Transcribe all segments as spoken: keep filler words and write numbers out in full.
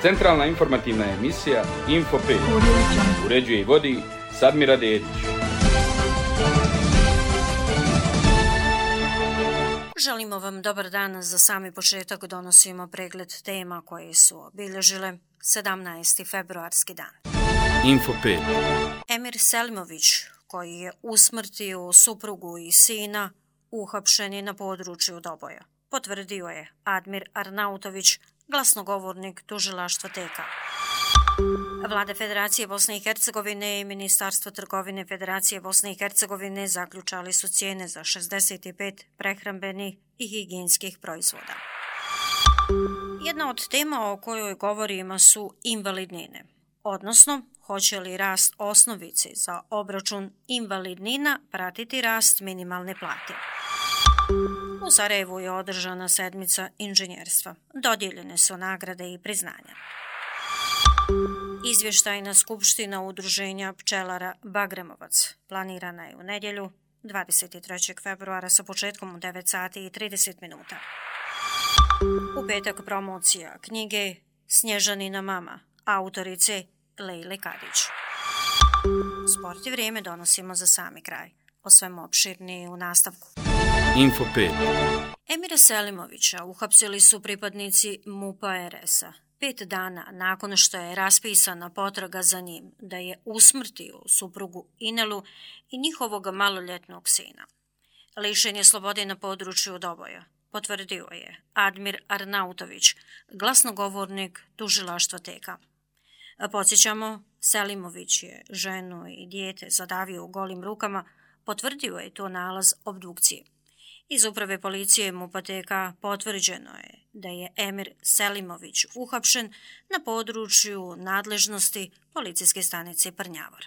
Centralna informativna emisija Info pet. Uređuje i vodi Sadmira Dedić. Želimo vam dobar dan. Za sami početak donosimo pregled tema koje su obilježile sedamnaesti februarski dan. Info pet. Emir Selimović, koji je usmrtio suprugu i sina, uhapšen je na području Doboja. Potvrdio je Admir Arnautović, glasnogovornik tužilaštva T K. Vlada Federacije Bosne i Hercegovine i Ministarstvo trgovine Federacije Bosne i Hercegovine zaključali su cijene za šezdeset pet prehrambenih i higijenskih proizvoda. Jedna od tema o kojoj govorimo su invalidnine, odnosno hoće li rast osnovice za obračun invalidnina pratiti rast minimalne plate. U Sarajevu je održana sedmica inženjerstva. Dodijeljene su nagrade i priznanja. Izvještajna skupština udruženja pčelara Bagremovac planirana je u nedjelju dvadeset trećeg februara sa početkom u devet sati i trideset minuta. U petak promocija knjige Snježanina mama, autorice Lejle Kadić. Sport i vrijeme donosimo za sami kraj. O svemu opširnije u nastavku. Info pet. Emira Selimovića uhapsili su pripadnici MUP-a R S-a. Pet dana nakon što je raspisana potraga za njim da je usmrtio suprugu Inelu i njihovog maloljetnog sina. Lišen je slobode na području Doboja, potvrdio je Admir Arnautović, glasnogovornik tužilaštva T K. Podsjećamo, Selimović je ženu i dijete zadavio golim rukama, potvrdio je to nalaz obdukcije. Iz uprave policije MUP-a T K potvrđeno je da je Emir Selimović uhapšen na području nadležnosti policijske stanice Prnjavar.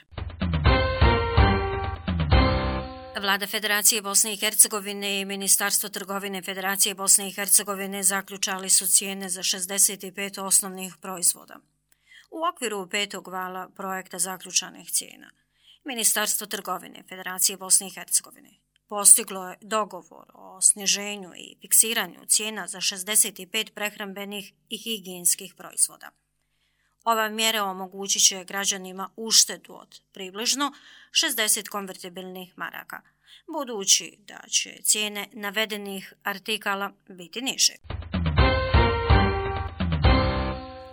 Vlada Federacije Bosne i Hercegovine i Ministarstvo trgovine Federacije Bosne i Hercegovine zaključali su cijene za šezdeset pet osnovnih proizvoda. U okviru petog vala projekta zaključanih cijena, Ministarstvo trgovine Federacije Bosne i Hercegovine postiglo je dogovor o sniženju i fiksiranju cijena za šezdeset pet prehrambenih i higijenskih proizvoda. Ova mjera omogućit će građanima uštedu od približno šezdeset konvertibilnih maraka, budući da će cijene navedenih artikala biti niže.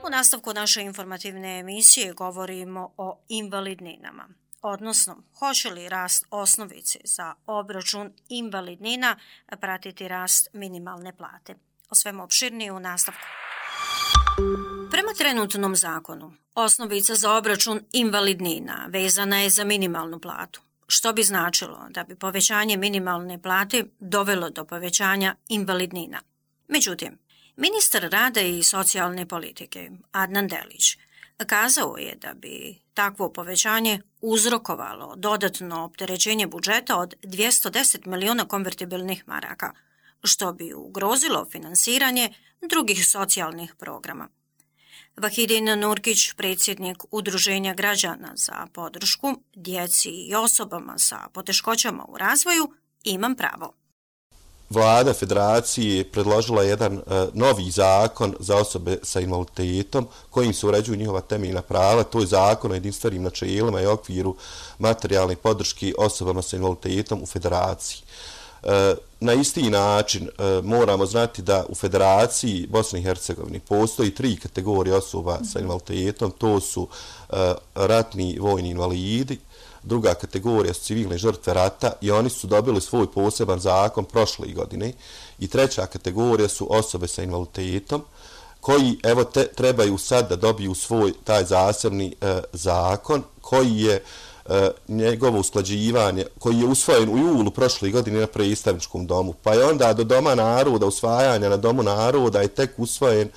U nastavku naše informativne emisije govorimo o invalidninama, odnosno hoće li rast osnovice za obračun invalidnina pratiti rast minimalne plate. O svemu opširnije u nastavku. Prema trenutnom zakonu, osnovica za obračun invalidnina vezana je za minimalnu platu, što bi značilo da bi povećanje minimalne plate dovelo do povećanja invalidnina. Međutim, ministar rada i socijalne politike Adnan Delić kazao je da bi takvo povećanje uzrokovalo dodatno opterećenje budžeta od dvjesto deset miliona konvertibilnih maraka, što bi ugrozilo finansiranje drugih socijalnih programa. Vahidin Nurkić, predsjednik Udruženja građana za podršku djeci i osobama sa poteškoćama u razvoju, Imam pravo. Vlada Federacije predložila jedan uh, novi zakon za osobe sa invaliditetom kojim se uređuju njihova temeljna prava. To je zakon o jedinstvenim načelima i okviru materijalne podrške osobama sa invaliditetom u Federaciji. Uh, na isti način uh, moramo znati da u Federaciji Bosne i Hercegovine postoji tri kategorije osoba sa invaliditetom. To su uh, ratni vojni invalidi, druga kategorija su civilne žrtve rata i oni su dobili svoj poseban zakon prošle godine, i treća kategorija su osobe sa invaliditetom koji evo te, trebaju sad da dobiju svoj taj zasebni e, zakon koji je e, njegovo usklađivanje, koji je usvojen u julu prošle godine na predstavničkom domu, pa je onda do Doma naroda, usvajanja na Domu naroda je tek usvojen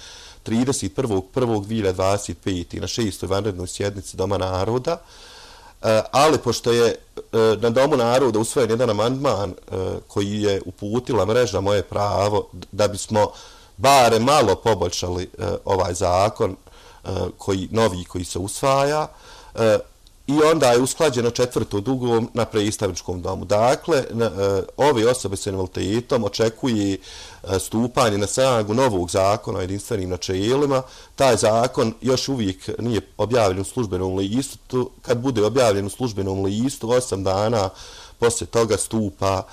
trideset prvog prvog dvije hiljade dvadeset pete na šestoj vanrednoj sjednici Doma naroda. Ali pošto je na Domu naroda usvojen jedan amandman koji je uputila mreža Moje pravo, da bismo bare malo poboljšali ovaj zakon koji, novi koji se usvaja, i onda je usklađeno četvrto dugom na predstavničkom domu. Dakle, ove osobe sa invaliditetom očekuje stupanje na snagu novog zakona o jedinstvenim načelima. Taj zakon još uvijek nije objavljen u službenom listu. Kad bude objavljen u službenom listu, osam dana poslije toga stupa,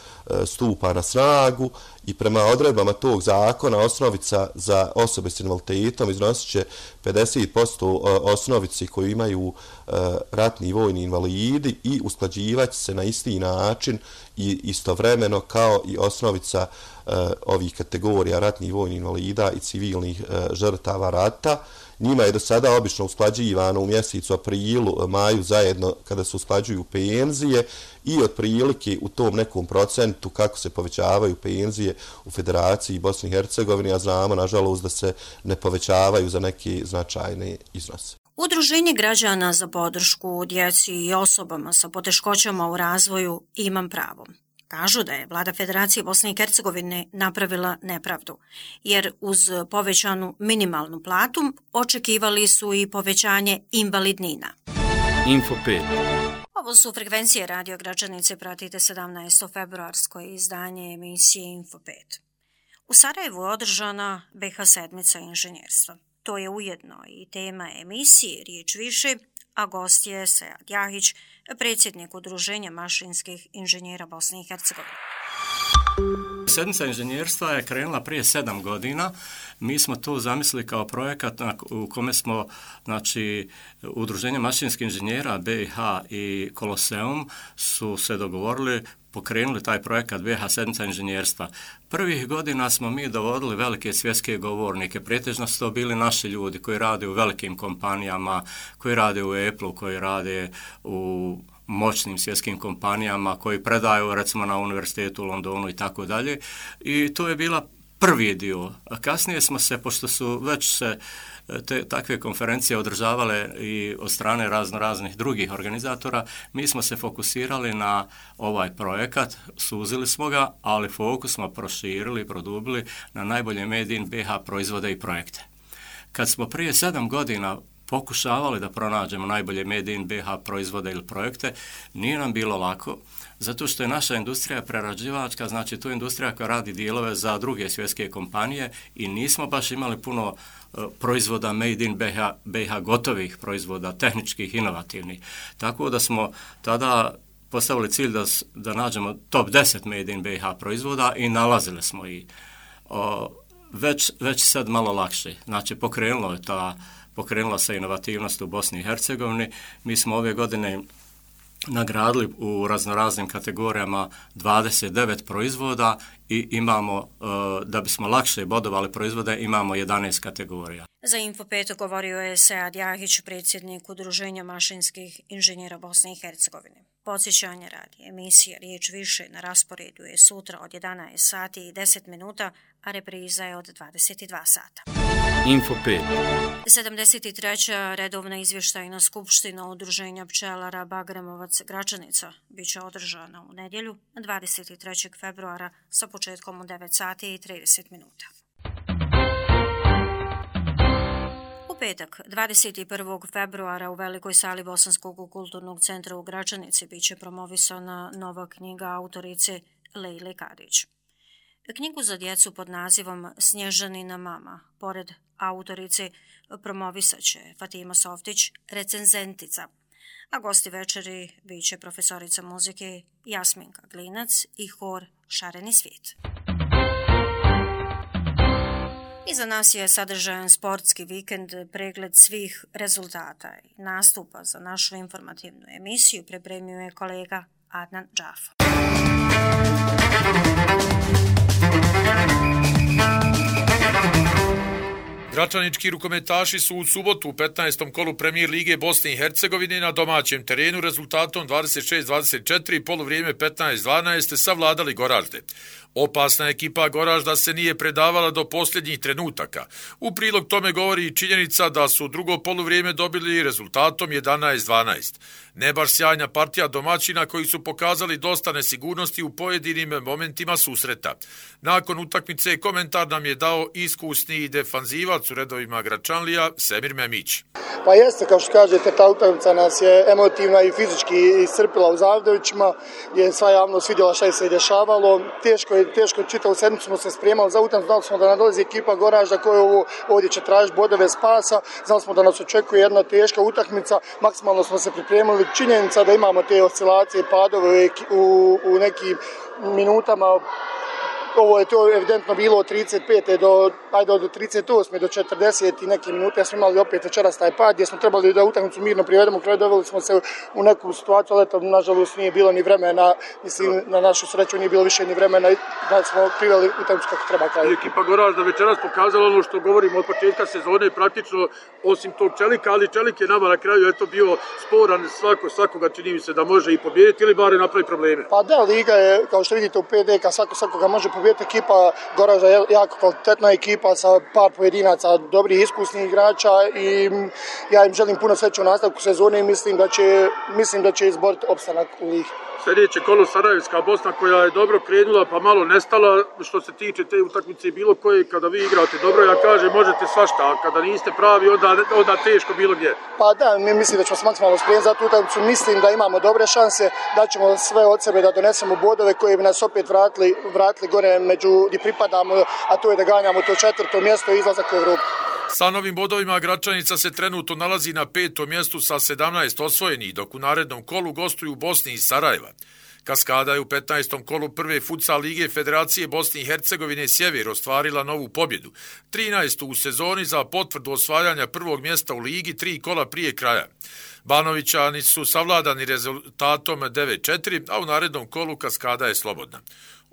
stupa na snagu i prema odredbama tog zakona osnovica za osobe s invaliditetom iznosit će pedeset posto osnovici koju imaju ratni i vojni invalidi i usklađivati se na isti način i istovremeno kao i osnovica ovih kategorija ratnih i vojnih invalida i civilnih žrtava rata. Njima je do sada obično usklađivano u mjesecu aprilu, maju zajedno kada se usklađuju penzije i otprilike u tom nekom procentu kako se povećavaju penzije u Federaciji Bosne i Hercegovine, a znamo nažalost da se ne povećavaju za neke značajne iznose. Udruženje građana za podršku djeci i osobama sa poteškoćama u razvoju Imam pravo kažu da je vlada Federacije Bosne i Hercegovine napravila nepravdu, jer uz povećanu minimalnu platu očekivali su i povećanje invalidnina. Info pet. Ovo su frekvencije Radio Gračanice, pratite sedamnaesto februarsko izdanje emisije Info pet. U Sarajevu je održana B H sedmica inženjerstva. To je ujedno i tema emisije Riječ više, a gost je Sead Jahić, predsjednik Udruženja mašinskih inženjera Bosne i Hercegovine. Sedmica inženjerstva je krenula prije sedam godina. Mi smo to zamislili kao projekat u kome smo, znači, Udruženje mašinskih inženjera B i H i Koloseum su se dogovorili, pokrenuli taj projekat B H sedmica inženjerstva. Prvih godina smo mi dovodili velike svjetske govornike, pretežno su to bili naši ljudi koji rade u velikim kompanijama, koji rade u Apple-u, koji rade u moćnim svjetskim kompanijama, koji predaju recimo na univerzitetu u Londonu i tako dalje. I to je bila prvi dio. A kasnije smo se, pošto su već se te takve konferencije održavale i od strane razno raznih drugih organizatora, mi smo se fokusirali na ovaj projekat, suzili smo ga, ali fokus smo proširili i produbili na najbolje Made in B H proizvode i projekte. Kad smo prije sedam godina pokušavali da pronađemo najbolje Made in B H proizvode ili projekte, nije nam bilo lako, zato što je naša industrija prerađivačka, znači to je industrija koja radi dijelove za druge svjetske kompanije i nismo baš imali puno uh, proizvoda Made in B H, B H gotovih proizvoda, tehničkih, inovativnih. Tako da smo tada postavili cilj da, da nađemo top deset Made in B H proizvoda i nalazili smo i uh, već, već sad malo lakše. Znači pokrenulo je ta pokrenula se inovativnost u Bosni i Hercegovini. Mi smo ove godine nagradili u raznoraznim kategorijama dvadeset devet proizvoda i imamo, da bismo lakše bodovali proizvode, imamo jedanaest kategorija. Za Info pet govorio je Sead Jahić, predsjednik Udruženja mašinskih inženjera Bosne i Hercegovine. Podsjećanje radi emisija Riječ više na rasporedu je sutra od jedanaest sati i deset minuta, a repriza je od dvadeset dva sata. Info pet. sedamdeset treća redovna izvještajna skupština Udruženja pčelara Bagremovac Gračanica bit će održana u nedjelju dvadeset trećeg februara sa početkom u devet sati i trideset minuta. U petak, dvadeset prvog februara u velikoj sali Bosanskog kulturnog centra u Gračanici bit će promovisana nova knjiga autorice Lejle Kadić. Knjigu za djecu pod nazivom Snježanina mama, pored autorice, promovisat će Fatima Softić, recenzentica, a gosti večeri bit će profesorica muzike Jasminka Glinac i hor Šareni svijet. Iza nas je sadržajan sportski vikend, pregled svih rezultata i nastupa za našu informativnu emisiju pripremio je kolega Adnan Džafo. Gračanički rukometaši su u subotu u petnaestom kolu Premijer Lige Bosne i Hercegovine na domaćem terenu rezultatom dvadeset šest dvadeset četiri poluvrijeme petnaest dvanaest savladali Goražde. Opasna ekipa Goražda se nije predavala do posljednjih trenutaka. U prilog tome govori i činjenica da su drugo poluvrijeme dobili rezultatom jedanaest dvanaest. Ne baš sjajna partija domaćina koji su pokazali dosta nesigurnosti u pojedinim momentima susreta. Nakon utakmice komentar nam je dao iskusni defanzivac gostiovac u redovima Gračanlija, Semir Memić. Pa jeste, kao što kažete, ta utakmica nas je emotivna i fizički iscrpila u Zavdovićima, gdje je sva javnost vidjela šta je se dešavalo. Teško je, teško je, čitavu sedmicu smo se spremali za utakmicu, znali smo da nam dolazi ekipa Goražda koja ovo, ovdje će tražiti bodove spasa, znali smo da nas očekuje jedna teška utakmica, maksimalno smo se pripremili. Činjenica da imamo te oscilacije, padove u, u nekim minutama. Ovo je to evidentno bilo od trideset pete do, ajde, od trideset osme do četrdeset i neke minute smo imali opet večeras taj pad gdje smo trebali da utakmicu mirno privedemo, kraju doveli smo se u neku situaciju, ali to nažalost nije bilo ni vremena, mislim na našu sreću nije bilo više ni vremena da smo priveli utakmicu kako treba kraju. Ekipa Goražda večeras pokazala ono što govorimo od početka sezone, praktično osim tog Čelika, ali Čelik je nama na kraju eto bio sporan, svako, svakoga čini mi se da može i pobijediti ili bare napravi probleme. Pa da, liga je, kao što vidite u P D K, svako svakoga može pobijediti. Ekipa Goražda je jako kvalitetna ekipa sa par pojedinaca, dobrih iskusnih igrača i ja im želim puno sreće u nastavku sezone i mislim da će, mislim da će izboriti opstanak u ligi. Sljedeće kolo Sarajevska Bosna koja je dobro krenula pa malo nestala što se tiče te utakmice bilo koje kada vi igrate dobro, ja kažem možete svašta, a kada niste pravi onda, onda teško bilo gdje. Pa da, mi mislim da ćemo se maksimalno spremiti za tu utakmicu, mislim da imamo dobre šanse, da ćemo sve od sebe da donesemo bodove koji bi nas opet vratili, vratili gore među gdje pripadamo, a to je da ganjamo to četvrto mjesto i izlazak u Evropu. Sa novim bodovima Gračanica se trenutno nalazi na petom mjestu sa sedamnaest osvojenih, dok u narednom kolu gostuju u Bosni i Sarajeva. Kaskada je u petnaestom kolu prve futsal lige Federacije Bosne i Hercegovine Sjever ostvarila novu pobjedu, trinaestu u sezoni za potvrdu osvajanja prvog mjesta u ligi tri kola prije kraja. Banovićani su savladani rezultatom devet četiri, a u narednom kolu Kaskada je slobodna.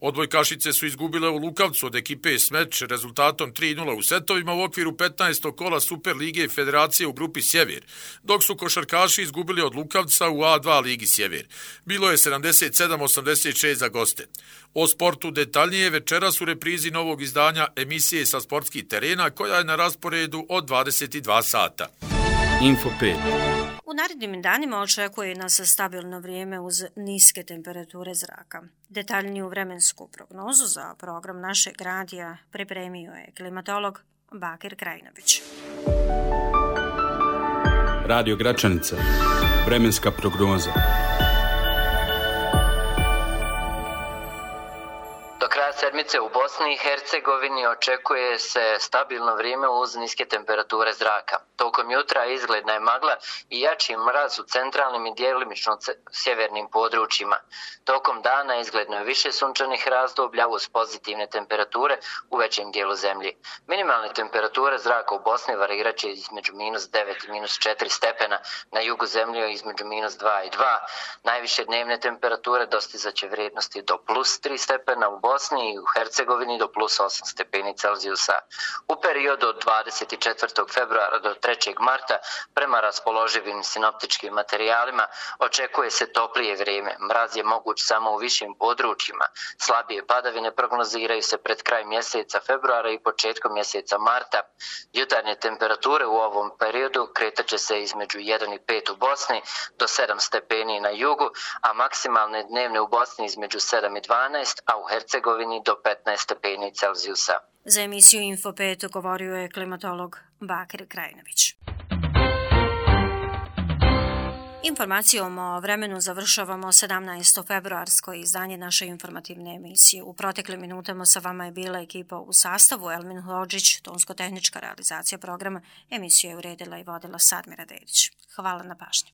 Odbojkašice su izgubile u Lukavcu od ekipe Smeč rezultatom tri nula u setovima u okviru petnaestog kola Super lige Federacije u grupi Sjever, dok su košarkaši izgubili od Lukavca u A dva ligi Sjever. Bilo je sedamdeset sedam osamdeset šest za goste. O sportu detaljnije večeras u reprizi novog izdanja emisije sa sportskih terena koja je na rasporedu od dvadeset dva sata. Info pet. U narednim danima očekuje nas stabilno vrijeme uz niske temperature zraka. Detaljniju vremensku prognozu za program našeg radija pripremio je klimatolog Bakir Krajinović. Radio Gračanica. Vremenska prognoza. Do kraja sedmice u Bosni i Hercegovini očekuje se stabilno vrijeme uz niske temperature zraka. Tokom jutra izgledna je magla i jači mraz u centralnim i djelimično sjevernim područjima. Tokom dana izgledno je više sunčanih razdoblja uz pozitivne temperature u većem dijelu zemlji. Minimalne temperature zraka u Bosni varirat će između minus devet i minus četiri stepena, na jugu zemlje između minus dva i dva. Najviše dnevne temperature dostizaće vrijednosti do plus tri stepena u Bosni i u Hercegovini do plus osam stepeni Celzijusa. U periodu od dvadeset četvrtog februara do trećeg marta prema raspoloživim sinoptičkim materijalima očekuje se toplije vrijeme. Mraz je moguć samo u višim područjima. Slabije padavine prognoziraju se pred kraj mjeseca februara i početkom mjeseca marta. Jutarnje temperature u ovom periodu kretat će se između jedan i pet u Bosni do sedam stepeni na jugu, a maksimalne dnevne u Bosni između sedam i dvanaest, a u Hercegovini do petnaest stepeni Celzijusa. Za emisiju Info pet govorio je klimatolog Bakir Krajinović. Informacijom o vremenu završavamo sedamnaesto februarsko izdanje naše informativne emisije. U proteklim minutama sa vama je bila ekipa u sastavu Elmin Hodžić, tonsko-tehnička realizacija programa. Emisiju je uredila i vodila Sadmira Dedić. Hvala na pažnji.